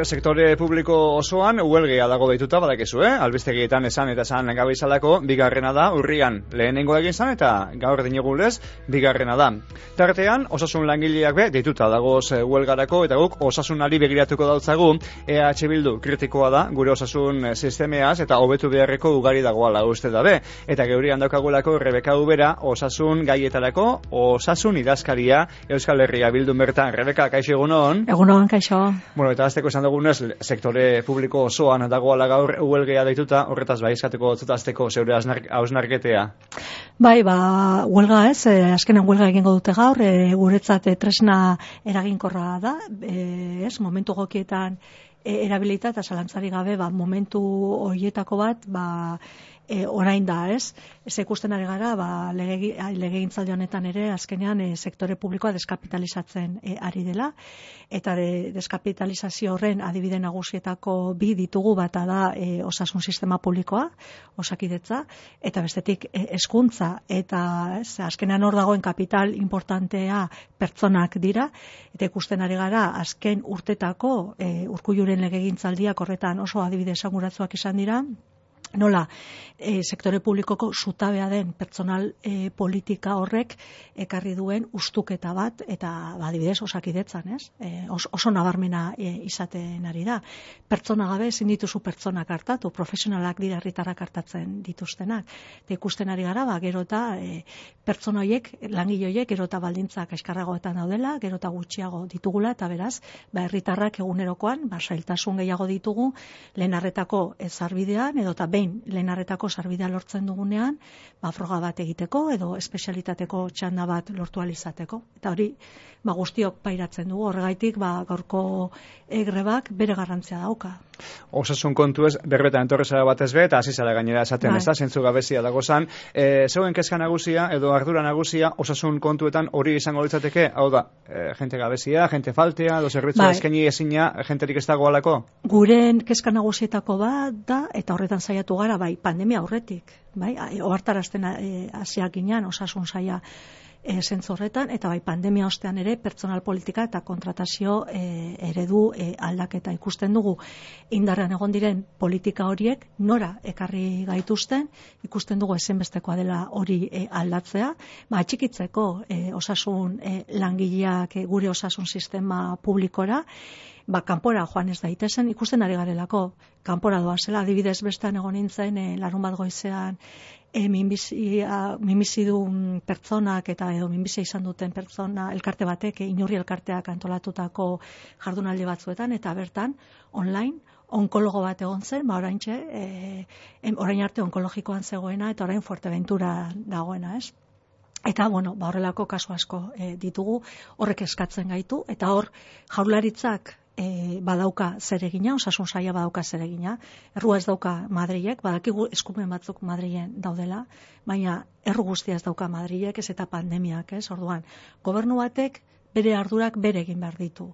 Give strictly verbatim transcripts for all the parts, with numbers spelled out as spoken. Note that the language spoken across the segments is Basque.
sektore publiko osoan huelgia dago deituta badakizu, eh? Albistegietan esan eta esan gabe izalako, bigarrena da, urrian lehenengo egin zan eta gaur dinegulez, bigarrena da. Tartean, osasun langileak be, deituta dagoz huelgarako eta guk osasunari begiratuko dautzagu, E H Bildu kritikoa da, gure osasun sistemeaz eta hobetu beharreko ugari dagoala uste dabe. Eta geurian daukagulako Rebeka Ubera, osasun gaietarako, osasun idazkaria Euskal Herria Bildun bertan. Rebeka, kaixo egunon? Egunon, kaixo. Bueno, eta azteko esan dugunez, sektore publiko osoan dagoala gaur huelgea deituta, horretaz bai eskateko zutazteko zeure hausnarketea. Bai, ba, huelga ez, eh, azkenan huelga egingo dute gaur, eh, guretzat eh, tresna eraginkorra da, eh, ez, momentu gokietan eh, erabilita eta zalantzari gabe, ba, momentu horietako bat, ba, E, orain da, ez? Ez ikusten ari gara, ba, lege, legegintzaldi honetan ere, azkenean e, sektore publikoa deskapitalizatzen e, ari dela, eta de, deskapitalizazio horren adibide nagusietako bi ditugu, bata da e, osasun sistema publikoa, osakidetza, eta bestetik e, hezkuntza, eta ez, azkenean hor dagoen kapital importantea pertsonak dira, eta ikusten ari gara, azken urtetako e, Urkulluren legegintzaldiak horretan oso adibide esanguratsuak izan dira, nola e, sektore publikoko zutabea den pertsonal e, politika horrek ekarri duen ustuketa bat eta adibidez osakidetzan, ez? E, os, oso nabarmena e, izaten ari da. Pertsona gabe ezin dituzu pertsonak hartatu, profesionalak dira herritarrak hartatzen dituztenak. Eta ikusten ari gara, ba, gero eta e, pertsona horiek, langile horiek, gero eta baldintzak eskarragoetan daudela, gero eta gutxiago ditugula, eta beraz, ba, herritarrak egunerokoan, ba, zailtasun gehiago ditugu, lehen arretako ezarbidean, edo eta behin lehen arretako sarbidea lortzen dugunean, ba, froga bat egiteko edo espezialitateko txanda bat lortu alizateko. Eta hori, ba, guztiok pairatzen dugu, horregaitik ba, gaurko grebak bere garrantzia dauka. Osasun kontu ez, berbetan entorrezara bat ez be, eta hasi zara gainera esaten, ez da, zentzu gabezia dago zan. E, zeuen kezka nagusia edo ardura nagusia osasun kontuetan hori izango litzateke, hau da, e, jente gabezia, jente faltea, edo zerbitzu bai. Eskaini ezina, jenterik ez dagoalako? Guren kezka nagusietako bat da, eta horretan saiatu gara, bai, pandemia aurretik, bai, ohartarazten hasiak ginean osasun saia e, zentzorretan, eta bai, pandemia ostean ere pertsonal politika eta kontratazio e, eredu e, aldaketa ikusten dugu indarrean egon diren politika horiek nora ekarri gaituzten, ikusten dugu ezinbestekoa dela hori e, aldatzea, ba, atxikitzeko e, osasun e, langileak e, gure osasun sistema publikora, ba, kanpora joan ez daitezen, ikusten ari garelako, kanpora doazela, adibidez bestan egon nintzen, e, larun bat goizean, e, minbizia, minbizidun pertsonak eta edo minbizia izan duten pertsona elkarte batek, e, inurri elkarteak antolatutako jardunaldi batzuetan, eta bertan, online, onkologo bat egon zen, ba, oraintxe, e, orain arte onkologikoan zegoena, eta orain Fuerteventura dagoena, ez? Eta, bueno, ba, horrelako kasu asko e, ditugu, horrek eskatzen gaitu, eta hor jaurlaritzak e, badauka zeregina, osasun saila badauka zeregina, errua ez dauka Madrilek, badakigu eskumen batzuk Madrilen daudela, baina erru guztia ez dauka Madrilek, ez eta pandemiak, ez, orduan, gobernu batek bere ardurak bere egin behar ditu.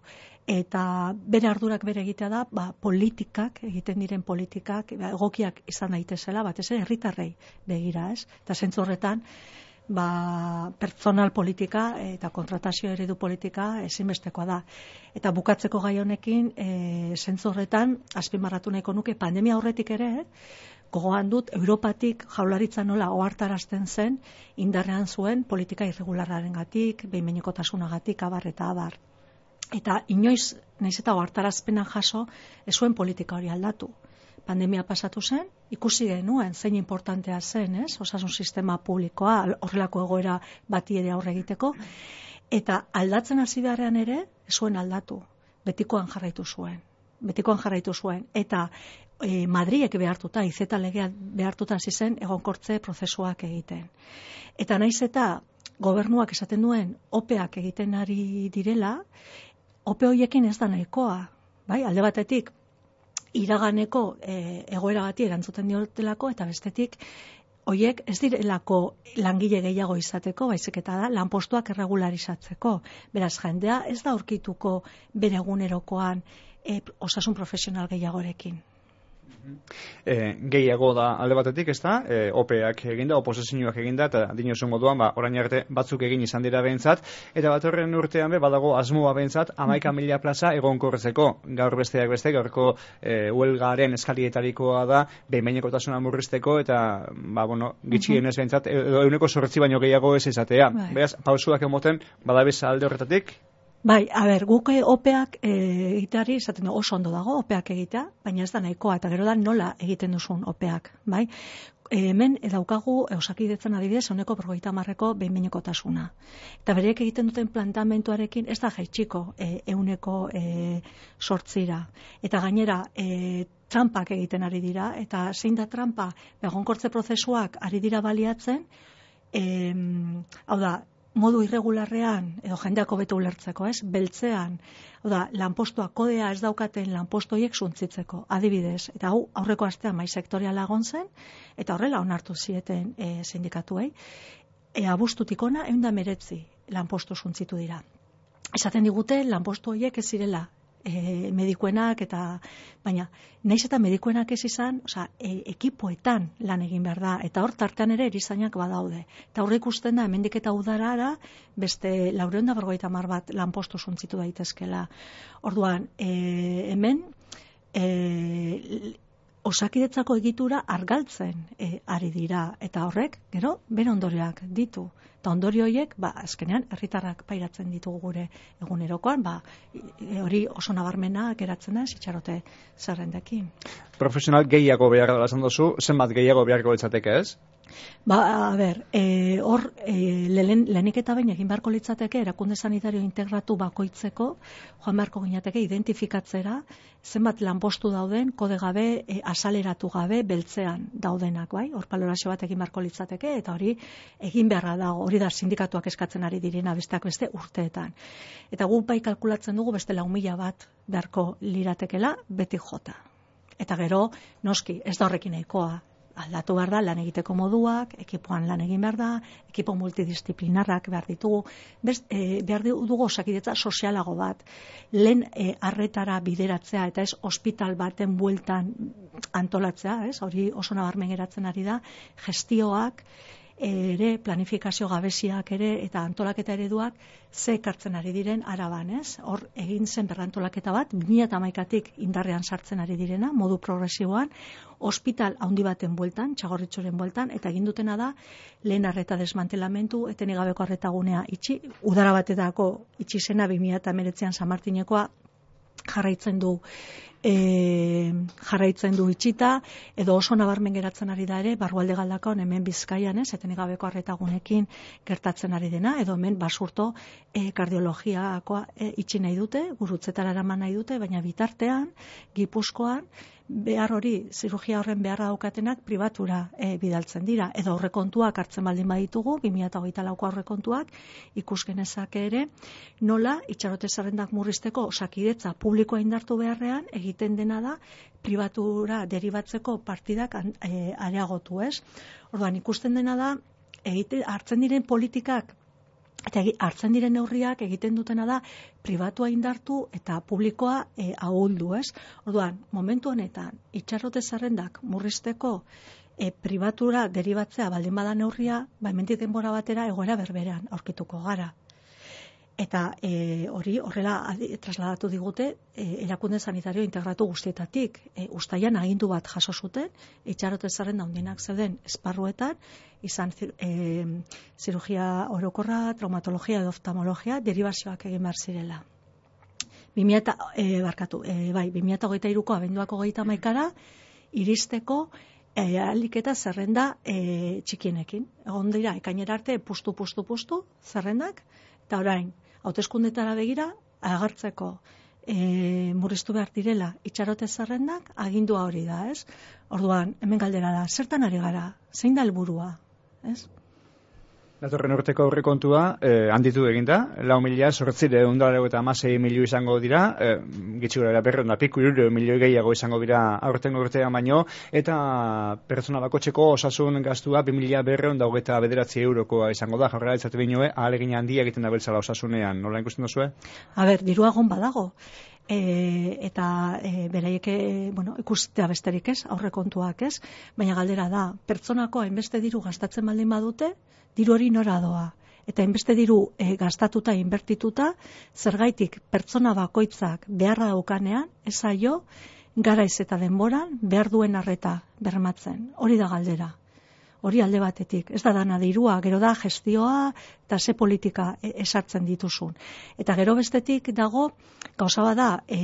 Eta bere ardurak bere egitea da, ba, politikak, egiten diren politikak, ba, egokiak izan daitezela, batez ere herritarrei begira, ez? Eta zentzu horretan, ba, pertsonal politika eta kontratazio eredu politika ezinbestekoa da. Eta bukatzeko gai honekin, e, zentzu horretan, azpimarratu nahiko nuke, pandemia aurretik ere, gogoan dut, Europatik jaurlaritza nola ohartarazten zen, indarrean zuen politika irregularrarengatik, behin-behinekotasunagatik, abar eta abar. Eta inoiz, nahiz eta ohartarazpena jaso, ez zuen politika hori aldatu. Pandemia pasatu zen, ikusi genuen zein importantea zen, ez? Osasun sistema publikoa, horrelako egoera bati ere aurre egiteko, eta aldatzen hasi beharrean ere, ez zuen aldatu, betikoan jarraitu zuen. Betikoan jarraitu zuen, eta e, Madrilek behartuta, izeta legea behartuta hasi zen egonkortze prozesuak egiten. Eta naiz eta gobernuak esaten duen opeak egiten ari direla, ope horiekin ez da nahikoa, bai? Alde batetik, iraganeko e, egoera bati erantzuten diotelako, eta bestetik, hoiek ez direlako langile gehiago izateko, baizik eta da lanpostuak erregularizatzeko. Beraz, jendea ez da aurkituko bere egunerokoan e, osasun profesional gehiagorekin. E, gehiago da alde batetik, ez da, e, opeak eginda, oposizioak eginda, eta dinosun moduan, ba, orain arte batzuk egin izan dira behintzat, eta bat horren urtean be, badago asmoa behintzat, hamaika mila plaza egonkorrezeko, gaur besteak beste, gaurko e, huelgaren eskalietarikoa da, behin-behinekotasuna murrizteko, eta, ba, bueno, gitxienez behintzat, edo euneko zortzi baino gehiago ez izatea. Bai. Beraz, pausuak emoten, badabeza alde horretatik? Bai, a ber, guk opeak egiteari, esaten du, oso ondo dago opeak egitea, baina ez da nahikoa, eta gero da nola egiten duzun opeak, bai? E, hemen daukagu Osakidetzan adibidez ehuneko berrogeita hamarreko behin-behinekotasuna. Eta bereek egiten duten planteamenduarekin ez da jaitsiko ehuneko zortzira. Eta gainera, e, trampak egiten ari dira, eta zein da trampa, egonkortze prozesuak ari dira baliatzen, e, hau da, modu irregularrean, edo jendeako beto ulertzeko, ez? Beltzean, oda, lanpostoa kodea ez daukaten lanpostoiek suntzitzeko, adibidez. Eta hau, aurreko astean mai sektoriala egon zen, eta horrela onartu zieten e, sindikatuei. E, abuztutik ona, ehun eta hemeretzi lanpostu suntzitu dira. Esaten digute, lanpostu horiek ez zirela e, medikuenak, eta baina, naiz eta medikuenak ez izan, osea, e, ekipoetan lan egin behar da, eta hor tartean ere erizainak badaude. Eta horrek ikusten da, hemendik eta udarara, beste laurehun eta berrogeita hamar bat lanpostu suntzitu daitezkela. Orduan, e, hemen, e, Osakidetzako egitura argaltzen e, ari dira, eta horrek, gero, bere ondorioak ditu. Eta ondorio horiek, ba, azkenean, herritarrak pairatzen ditugu gure egunerokoan, ba, e, hori oso nabarmena geratzen da, itxarote zerrendekin. Profesional gehiago behar dela esan duzu, zenbat gehiago beharko litzateke, ez? Ba, a ber, e, hor, e, lehen, lehenik eta bain egin beharko litzateke, erakunde sanitario integratu bakoitzeko, joan beharko ginateke identifikatzera, zenbat lanpostu dauden, kode gabe, e, asaleratu gabe, beltzean daudenak, bai? Hor balorazio bat egin beharko litzateke, eta hori egin beharra dago, hori da sindikatuak eskatzen ari direna besteak beste urteetan. Eta gu bai kalkulatzen dugu beste lau mila bat beharko liratekela beti jota. Eta gero, noski, ez da horrekin nahikoa. Aldatu behar da, lan egiteko moduak, ekipoan lan egin behar da, ekipo multidisciplinarrak behar ditugu, Best, e, behar dugu osakidetza sozialago bat, lehen e, arretara bideratzea, eta ez ospital baten bueltan antolatzea, ez? Hori oso nabarmen geratzen ari da, gestioak, ere planifikazio gabeziak ere eta antolaketa ereduak ze ekartzen ari diren Araban, ez? Hor egin zen berrantolaketa bat bi mila hamaikatik indarrean sartzen ari direna, modu progresiboan, ospital handi baten bueltan, Txagorritxuren bueltan, eta egin dutena da lehen arreta desmantelamentu, etenik gabeko arretagunea itxi, udara batetako itxi zena bi mila hemeretzian San Martinekoa jarraitzen du E, jarraitzen du itxita, edo oso nabarmen geratzen ari da ere, barrualde galdakaon hemen Bizkaian, ez, etenik gabeko arretagunekin gertatzen ari dena, edo hemen basurto e, kardiologiakoa e, itxi nahi dute, gurutzetara eraman nahi dute, baina bitartean, Gipuzkoan, behar hori, zirugia horren beharra daukatenak pribatura e, bidaltzen dira, edo aurrekontuak hartzen baldin baditugu, bi mila hogeita lauko aurrekontuak, ikus genezake ere, nola itxarote zerrendak murrizteko Osakidetza publikoa indartu beharrean, egiten dena da, pribatura deribatzeko partidak e, areagotu, ez? Orduan, ikusten dena da, egite, hartzen diren politikak, eta hartzen diren neurriak egiten dutena da pribatua indartu eta publikoa e, ahuldu, ez? Orduan, momentu honetan, itxarrote zerrendak murrizteko e, pribatura deribatzea baldin bada neurria, ba, hemendik denbora batera egoera berberean aurkituko gara. Eta e, hori horrela adi, trasladatu digute e, erakunde sanitario integratu guztietatik. E, Uztailan agindu bat jaso zuten, itxarote zerrenda handinak zeuden esparruetan, izan e, zirugia orokorra, traumatologia edo oftalmologia, deribazioak egin behar zirela. bi mila e, barkatu, e, bai, bi mila hogeita hiruko abenduak hogeita hamaikara iristeko e, ahalik eta zerrenda e, txikienekin. Egon dira, ekainera arte pustu, pustu, pustu zerrendak, eta orain, hauteskundetara begira, agertzeko e, murriztu behar direla itxarote zerrendak, agindua hori da, ez? Orduan, hemen galdera da, zertan ari gara, zein da helburua, ez? Datorren urteko aurrekontua eh, handitu eginda, lau mila zortziehun eta hamasei milioi izango dira, eh, gitxi gora berrehun eta piku hirurehun milioi gehiago izango dira aurtengo urtean baino, eta pertsona bakoitzeko osasun gastua bi mila berrehun eta hogeita bederatzi eurokoa izango da, jaurlaritzak binoe ahalegin handia egiten da beltzala osasunean, nola ikusten duzue? A ber, dirua egon badago. E, eta e, beraiek e, bueno, ikustea besterik ez, aurrekontuak ez, baina galdera da, pertsonako hainbeste diru gastatzen baldin badute, diru hori nora doa. Eta hainbeste diru e, gastatuta, inbertituta, zergaitik pertsona bakoitzak beharra daukanean, ez zaio, garaiz eta denboran behar duen arreta bermatzen. Hori da galdera. Hori alde batetik. Ez da dana dirua, gero da gestioa eta ze politika esartzen dituzun. Eta gero bestetik dago, gauza bada e,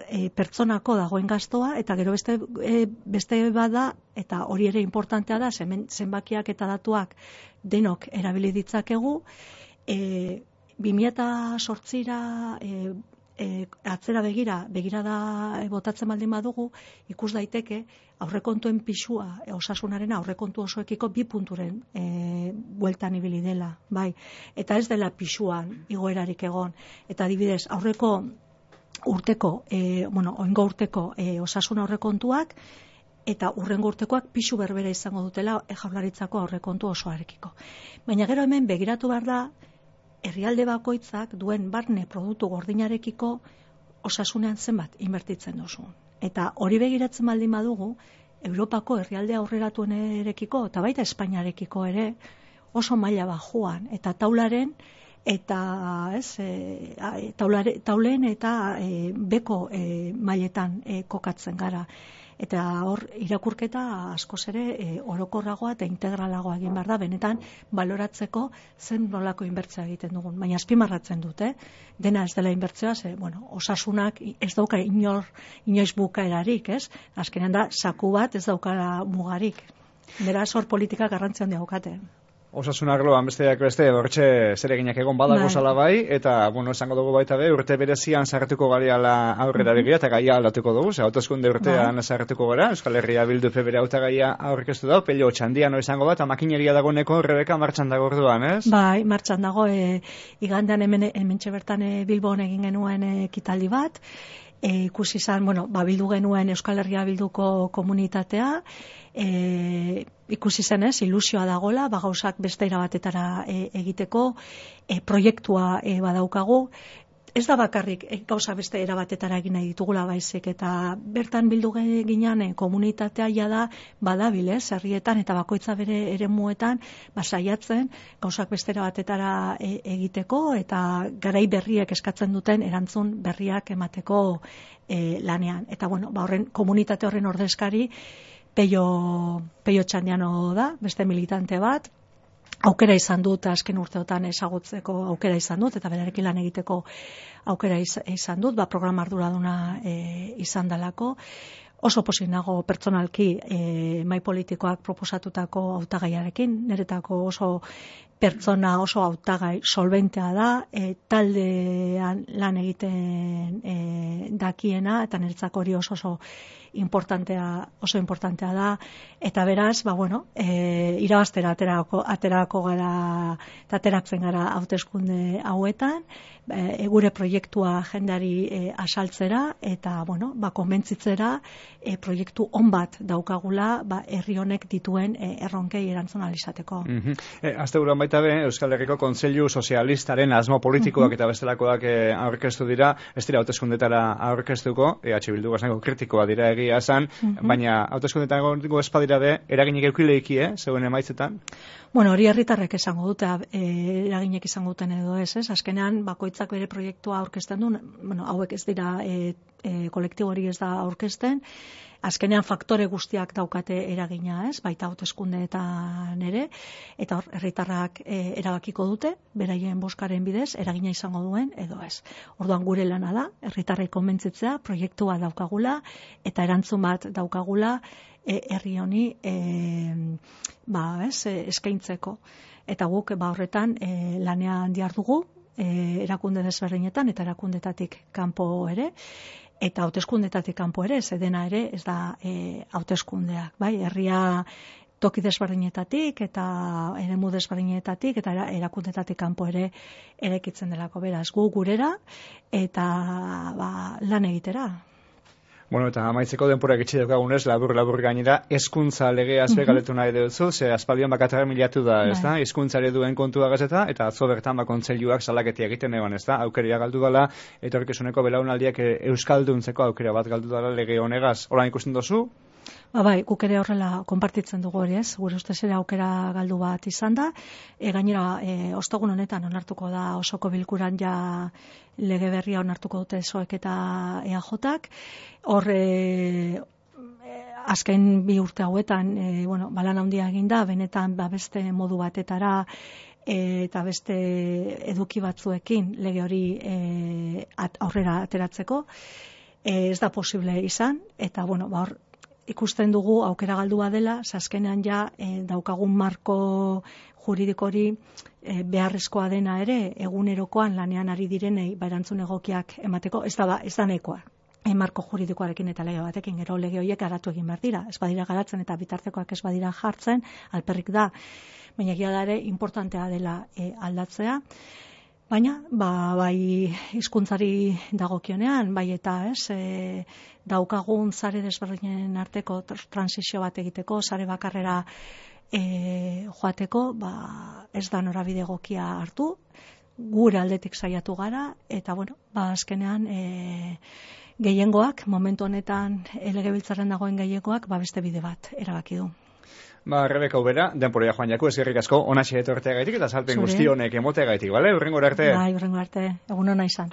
e, pertsonako dagoen gastoa, eta gero beste, e, beste bada, eta hori ere importantea da, zen, zenbakiak eta datuak denok erabili ditzakegu, e, bi mila zortzira e, e, atzera begira, begirada botatzen baldin badugu, ikus daiteke aurrekontuen pisua, e, osasunaren aurrekontu osoekiko bi punturen e, bueltan ibili dela, bai. Eta ez dela pisuan igoerarik egon. Eta adibidez, aurreko urteko, e, bueno, oingo urteko e, osasun aurrekontuak, eta urrengo urtekoak pisu berbera izango dutela e, Jaurlaritzako aurrekontu osoarekiko. Baina gero hemen begiratu behar da, herrialde bakoitzak duen barne produktu gordinarekiko osasunean zenbat inbertitzen duzu. Eta hori begiratzen baldin badugu, Europako herrialde aurreratuenerekiko eta baita Espainiarekiko ere oso maila bajuan, eta taularen eta ez, e, taulare, taulen eta e, beko e, mailetan e, kokatzen gara. Eta hor irakurketa askoz ere e, orokorragoa eta integralagoa egin behar da, benetan baloratzeko zen nolako inbertzioa egiten dugun. Baina azpimarratzen dut, eh? Dena ez dela inbertzioa, ze, bueno, osasunak ez dauka inor, inoiz bukaerarik, ez? Azkenean da, saku bat ez daukara mugarik. Beraz, hor politika garrantzi handia daukate. Osasun arloan besteak beste, hortxe zereginak egon badago bai. Zala bai, eta, bueno, esango dugu baita be, urte berezian sartuko gareala aurrera begira, eta gaia aldatuko dugu, ze hauteskunde urtean bai. Sartuko gara, Euskal Herria Bildu bere hautagaia aurkeztu da, pello txandiano izango da, eta makineria dagoeneko Rebeka martxan dago orduan, ez? Bai, martxan dago, e, igandean hemen, hementxe bertan e, Bilbon egin genuen e, ekitaldi bat, e, ikusi izan, bueno, ba, bildu genuen Euskal Herria Bilduko komunitatea, E, ikusi zenez, ilusioa dagola, ba, gauzak beste erabatetara e, egiteko, e, proiektua e, badaukagu, ez da bakarrik e, gauza beste erabatetara egin nahi ditugula baizik, eta bertan bildu ginean e, komunitatea jada badabil, ez, herrietan eta bakoitza bere eremuetan ba, saiatzen gauzak beste erabatetara e, egiteko, eta garai berriek eskatzen duten erantzun berriak emateko e, lanean. Eta bueno, ba, horren komunitate horren ordezkari Peio, Peio Txandiano da, beste militante bat, aukera izan dut, azken urteotan ezagutzeko aukera izan dut, eta berarekin lan egiteko aukera izan dut, ba, programa arduraduna e, izan dalako. Oso pozik nago pertsonalki e, mai politikoak proposatutako hautagaiarekin, niretako oso pertsona oso hautagai solventea da, e, taldean lan egiten e, dakiena, eta niretzako hori oso oso importantea, oso importantea da, eta beraz, ba bueno, e, irabaztera aterako, aterako gara, eta ateratzen gara hauteskunde hauetan, e, gure proiektua jendeari e, asaltzera, eta bueno, ba konbentzitzera e, proiektu on bat daukagula, ba herri honek dituen e, erronkei erantzun ahal izateko. Mm-hmm. E, Asteburuan baita be, Euskal Herriko Kontseilu Sozialistaren asmo politikoak mm-hmm. eta bestelakoak e, aurkeztu dira, ez dira hauteskundetara aurkeztuko, E H Bildu gazneko kritikoa dira egia esan, mm-hmm. baina hauteskundetan egongo espadira be, eraginik eukileiki, eh, zeuen emaitzetan? Bueno, hori herritarrek esango dute, e, eraginek izango duten edo ez, ez? Azkenean, bakoitzak bere proiektua aurkezten du, bueno, hauek ez dira, e, e, kolektibo hori ez da aurkezten, azkenean faktore guztiak daukate eragina, ez? Baita hauteskundeetan ere, eta hor, herritarrak e, erabakiko dute, beraien boskaren bidez, eragina izango duen edo ez. Orduan gure lana da, herritarrei konbentzitzea, proiektua daukagula, eta erantzun bat daukagula, herri honi e, ba, ez, eskaintzeko. Eta guk ba, horretan e, lanean dihardugu, e, erakunde desberdinetan eta erakundetatik kanpo ere, eta hauteskundetatik kanpo ere, zedena ere ez da e, hauteskundeak, bai, herria toki desberdinetatik eta eremu desberdinetatik eta erakundetatik kanpo ere erekitzen delako, beraz gu gurera eta ba, lan egitera. Bueno, eta amaitzeko denporak itxi daukagunez, labur-labur gainera, hezkuntza legeaz be galetu nahi duzu, ze aspaldian bakatara milatu da, ez da? Hezkuntzari duen kontua gazeta, eta atzo bertan bakontzeiluak salaketia egiten eban, ez da? Aukeria galdu dela, eta etorkizuneko belaunaldiak euskalduntzeko aukera bat galdu dela lege honegaz. Hola ikusten dozu? Ba, bai, guk ere horrela konpartitzen dugu hori, ez? Gure ustez ere aukera galdu bat izan da. E, gainera, e, ostegun honetan onartuko da osoko bilkuran ja lege berria onartuko dute soek eta E A Jak. Hor, e, azken bi urte hauetan, e, bueno, balan handia egin da, benetan ba, beste modu batetara e, eta beste eduki batzuekin lege hori e, at, aurrera ateratzeko. E, ez da posible izan, eta bueno, ba, hor, ikusten dugu aukera galdua dela, azkenean ja e, daukagun marko juridikori e, beharrezkoa dena ere egunerokoan lanean ari direnei erantzun egokiak emateko, ez da ez da nahikoa. E, marko juridikoarekin eta lege batekin, gero lege horiek garatu egin behar dira. Ez badira garatzen eta bitartekoak ez badira jartzen, alperrik da. Baina egia da ere importantea dela e, aldatzea. Baina, ba, bai hizkuntzari dagokionean, bai eta ez, e, daukagun sare desberdinen arteko transizio bat egiteko, sare bakarrera e, joateko, ba, ez da norabide egokia hartu, gure aldetik saiatu gara, eta bueno, ba, azkenean e, gehiengoak, momentu honetan legebiltzarren dagoen gehiengoak, ba, beste bide bat erabaki du. Ba, Rebeka Ubera, denporia joan jaku, eskerrik asko, onaxe etortea gaitik eta salpen guzti honek emotea gaitik, bale? Urrengo arte. Bai, urrengo arte, egun hona izan.